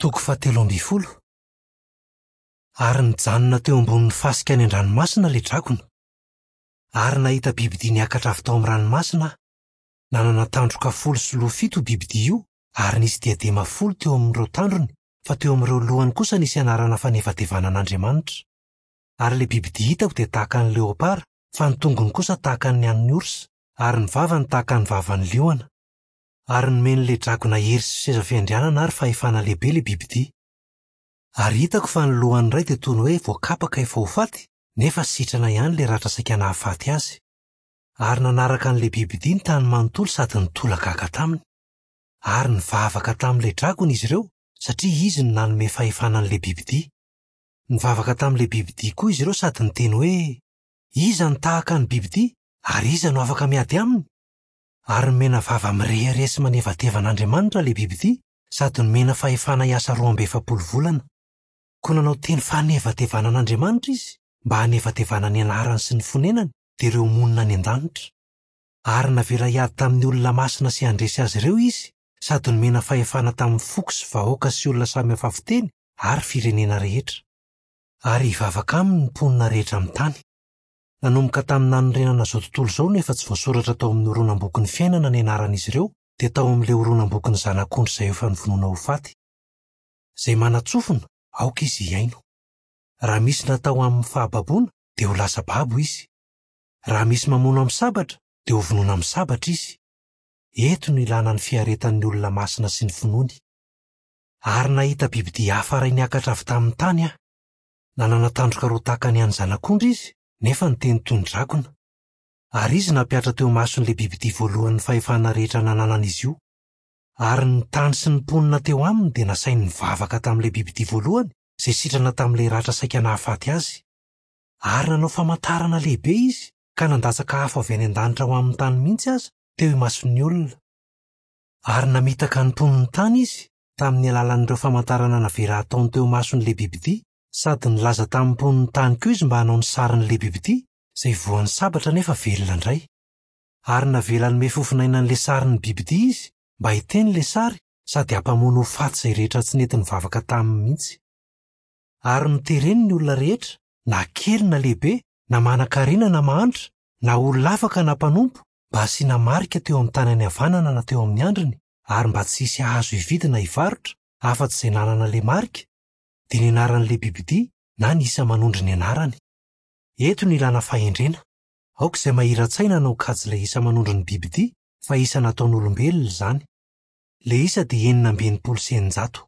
Toko fahatelo ambin'ny folo. Ary nijanona teo ambonin'ny fasika any an-dranomasina ilay dragona. Ary nahita bibidia niakatra avy tao amin'ny ranomasina aho. Nanana tandroka folo sy loha fito io bibidia io, ary nisy diadema folo teo amin'ireo tandrony, fa teo amin'ireo lohany kosa nisy anarana fanevatevana an'Andriamanitra. Ary ilay bibidia hitako dia tahaka ny leopara, fa ny tongony kosa tahaka ny an'ny orsa, ary ny vavany tahaka ny vavan'ny liona. Ary nomen'ilay dragona hery sy seza fiandrianana ary fahefana lehibe ilay bibidia. Ary hitako fa ny lohan'ny iray dia toy ny hoe voakapaka efa ho faty, nefa sitrana ihany ilay ratra saika nahafaty azy. Ary nanaraka an'ilay bibidia ny tany manontolo sady nitolagaga taminy. Ary nivavaka tamin'ilay dragona izy ireo, satria izy no nanome fahefana an'ilay bibidia. Nivavaka tamin'ilay bibidia koa izy ireo sady niteny hoe, Iza no tahaka ny bibidia, ary iza no afaka miady aminy? Ary nomena vava mirehareha sy manevateva an'Andriamanitra ilay bibidia sady nomena fahefana hiasa 42 volana. Koa nanao teny fanevatevana an'Andriamanitra izy mba hanevatevana ny anarany sy ny fonenany, dia ireo monina any an-danitra. Ary navela hiady tamin'ny olona masina sy handresy azy ireo izy, sady nomena fahefana tamin'ny foko sy vahoaka sy olona samy hafa fiteny ary firenena rehetra. Ary hivavaka aminy ny mponina rehetra amin'ny tany. Nanomboka tamin'ny nanorenana izao tontolo izao no efa tsy voasoratra tao amin'ny horonam-bokin'ny fiainana ny anaran'izy ireo, dia tao amin'ilay horonam-bokin'ny Zanak'ondry izay efa novonoina ho faty. Izay manan-tsofina, aoka izy hihaino. Raha misy natao amin'ny fahababoana, dia ho lasa babo izy. Raha misy mamono amin'ny sabatra, dia hovonoina amin'ny sabatra izy. Eto no ilana ny fiaretan'ny olona masina sy ny finoany. Ary nahita bibidia hafa iray niakatra avy tamin'ny tany aho. Nanana tandroka roa tahaka ny an'ny zanak'ondry izy, nefa niteny toy ny dragona. Ary izy nampihatra teo imason'ilay bibidia voalohany ny fahefana rehetra nananan'izy io. Ary ny tany sy ny mponina teo aminy dia nasainy nivavaka tamin'ilay bibidia voalohany izay sitrana tamin'ilay ratra saika nahafaty azy. Ary nanao famantarana lehibe izy ka nandatsaka afo avy any an-danitra ho amin'ny tany mihitsy aza teo imason'ny olona. Ary namitaka ny mponin'ny tany izy tamin'ny alalan'ireo famantarana navela hataony teo imason'ilay bibidia, sady nilaza tamin'ny mponin'ny tany koa izy mba hanao ny sarin'ilay bibidia, izay voan'ny sabatra nefa velona indray. Ary navela hanome fofonaina an'ilay sarin'ny bibidia izy mba hiteny ilay sary sady hampamono ho faty izay rehetra tsy nety nivavaka taminy mihitsy. Ary notereny ny olona rehetra, na kely na lehibe, na manan-karena na mahantra, na olona afaka na mpanompo, mba hasiana marika teo amin'ny tanany havanana na teo amin'ny handriny, ary mba tsy hisy hahazo hividy na hivarotra, afa-tsy izay nanana ilay marika, dia ny anaran'ilay bibidia na ny isa manondro ny anarany. Eto no ilana fahendrena. Aoka izay mahira-tsaina hanao kajy ilay isa manondro ny bibidia fa isa nataon'olombelona izany. Ilay isa dia 666.